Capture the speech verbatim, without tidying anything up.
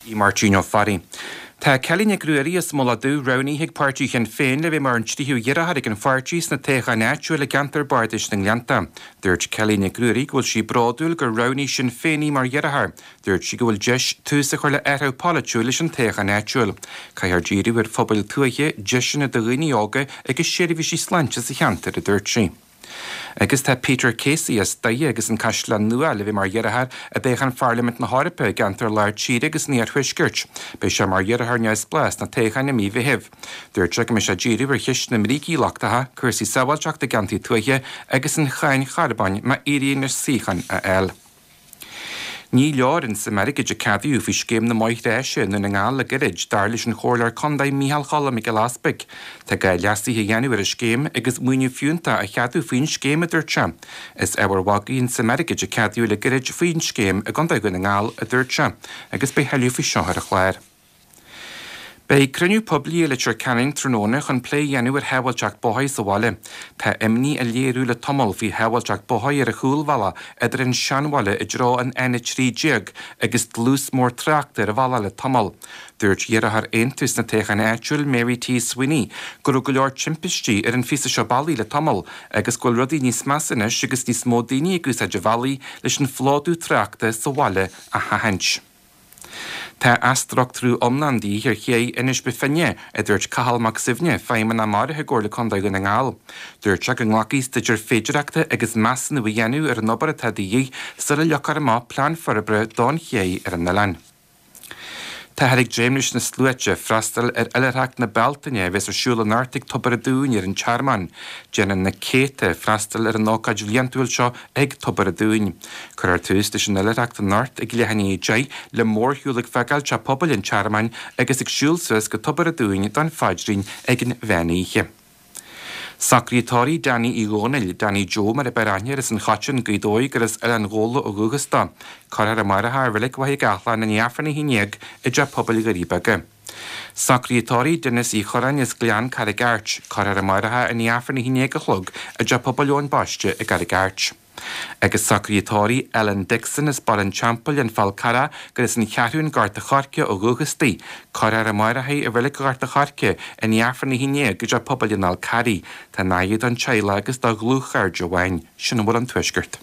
Í Máirtín Ó Fearraigh. Tá Kelly Nic Ruairí as Mullach Dubh roghnaithe ag páirtí Shinn Féin le bheith mar an tríú hiarrthóir ag an pháirtí sna toghcháin áitiúil i gceantar Bardais na nGleannta. Dúirt Kelly Nic Ruairí go bhfuil sí bródúil gur roghnaigh Sinn Féin í mar iarrthóir. Dúirt sí go bhfuil deis tús a chur le athrú polaitiúil leis an toghchán áitiúil. Caithfear díriú ar phobail tuaithe, deiseanna do dhaoine óga agus seirbhísí sláinte sa cheantar, a dúirt sí. Agus tá Peter Casey as Doire agus an Caisleán Nua le bheith mar iarrthóir i dtoghchán Pharlaimint na hEorpa i gceantar Lár Tíre agus an Iarthuaiscirt. Beidh sé mar iarrthóir neamhspleách sna toghcháin i mí Mheithimh. Dúirt sé go mbeidh sé ag díriú ar cheist na mbrící lochtacha, cúrsaí sábháilteachta i gceantair tuaithe agus an cháin charbóin má éiríonn leis suíochán a fháil. Ní leor an suim airgid a ceadaíodh faoi scéim na mbóithre áise i nDún na nGall le gairid, dar leis an Chomhairleoir Contae Micheál Cholm Mac Giolla Easpaig. Tá gá leasuithe a dhéanamh ar an scéim agus maoiniú fiúntach a cheadú faoin scéim, a dúirt sé. Is ábhar magaidh an tsuim airgid a ceadaíodh le gairid faoin scéim i gContae Dhún na nGall, a dúirt sé, agus beidh thuilleadh faoi seo ar an chlár. Beidh cruinniú poiblí i Leitir Ceanainn tráthnóna chun plé a dhéanamh ar shábháilteacht bóthair sa bhaile. Tá imní á léiriú le tamall faoi shábháilteacht bóthair ar an chúlbhealach idir an Seanbhaile i dtreo an N a trí déag agus dlús mór tráchta ar an bhealach le tamall. Dúirt iarrthóir Aontú sna toghcháin áitiúil Mary T. Sweeney go raibh go leor timpistí ar an phíosa seo bealaigh le tamall agus go bhfuil rudaí níos measa anois agus níos mó daoine ag úsáid an bhealaigh leis an phlódú tráchta sa bhaile a sheachaint. Tá athstruchtúrú iomlán de dhíth ar ché Inis Bó Finne, a dúirt Cathal Mac Suibhne, feidhmeannach maraithe i gComhairle Contae Dhún na nGall. Dúirt sé go nglacfaidh staidéar féidearthachta agus measúnú a dhéanamh ar an obair atá de dhíth sula leagfar amach plean forbartha don ché ar an oileán. Táthar ag dréim leis na sluaite freastal ar Oilithreacht na Bealtaine a bheas ar siúl anocht ag Tobar an Dúin ar an Tearmann. Déanann na céadta freastal ar an ócáid bhliantúil seo ag Tobar an Dúin. Cuirfear tús leis an oilithreacht anocht ag leath i ndiaidh a deich le mórshiúl ag fágáil Teach Pobail an Tearmainn agus ag siúl suas go Tobar an Dúin don phaidrín ag an mheán oíche. Socruithe tórraimh Danny Uí Dhónaill, Danny Joe mar a b'fhearr aithne air as an Choiteann, Gaoth Dobhair gur as Oileán Ghabhla ó dhúchas dó. Cuirfear amárach é i Reilig Mhachaire Gathlán i ndiaidh Aifreann a haon déag i dTeach Pobail Dhoirí Beaga. Socruithe tórraimh Denis Uí Churráin as Gleann Carraig Airt. Cuirfear amárach é i ndiaidh Aifreann a haon déag a chlog i dTeach Pobail Eoin Baiste i gCarraig Airt. Agus socruithe tórraimh Ellen Dixon as Baile an Teampaill an Fál Carrach gur as an Cheathrún Gort a' Choirce ó dhúchas di. Cuirfear amárach í i Reilig Ghort a' Choirce i ndiaidh Aifreann a haon déag i dTeach Pobail an Fhál Carraigh. Tá an-aidhm don teaghlach agus dá dhlúthchairde amháin, sin a bhfuil an tuaisceart.